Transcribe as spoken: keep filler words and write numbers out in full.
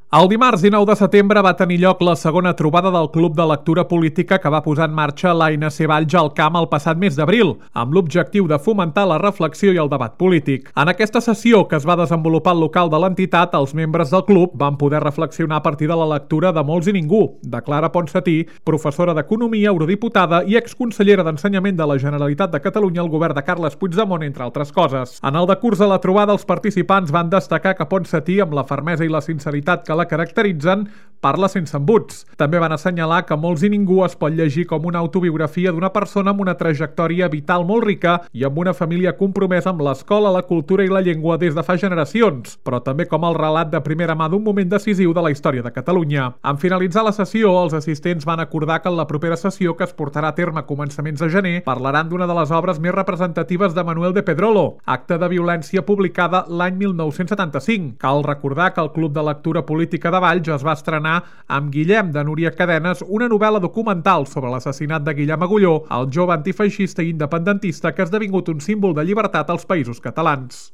El dimarts dinou de setembre va tenir lloc la segona trobada del Club de Lectura Política que va posar en marxa l'A N C Valls al Camp el passat mes d'abril, amb l'objectiu de fomentar la reflexió i el debat polític. En aquesta sessió, que es va desenvolupar al local de l'entitat, els membres del club van poder reflexionar a partir de la lectura de Molts i Ningú, de Clara Ponsatí, professora d'Economia, eurodiputada i exconsellera d'Ensenyament de la Generalitat de Catalunya al govern de Carles Puigdemont, entre altres coses. En el decurs de la trobada, els participants van destacar que Ponsatí, amb la fermesa i la sinceritat que la caracteritzen, parla sense embuts. També van assenyalar que Molts i Ningú es pot llegir com una autobiografia d'una persona amb una trajectòria vital molt rica i amb una família compromesa amb l'escola, la cultura i la llengua des de fa generacions, però també com el relat de primera mà d'un moment decisiu de la història de Catalunya. En finalitzar la sessió, els assistents van acordar que en la propera sessió, que es portarà a terme a començaments de gener, parlaran d'una de les obres més representatives de Manuel de Pedrolo, Acte de violència, publicada l'any mil nou-cents setanta-cinc. Cal recordar que el Club de Lectura Política de Valls es va estrenar amb Guillem, de Núria Cadenes, una novel·la documental sobre l'assassinat de Guillem Agulló, el jove antifeixista i independentista que ha esdevingut un símbol de llibertat als Països Catalans.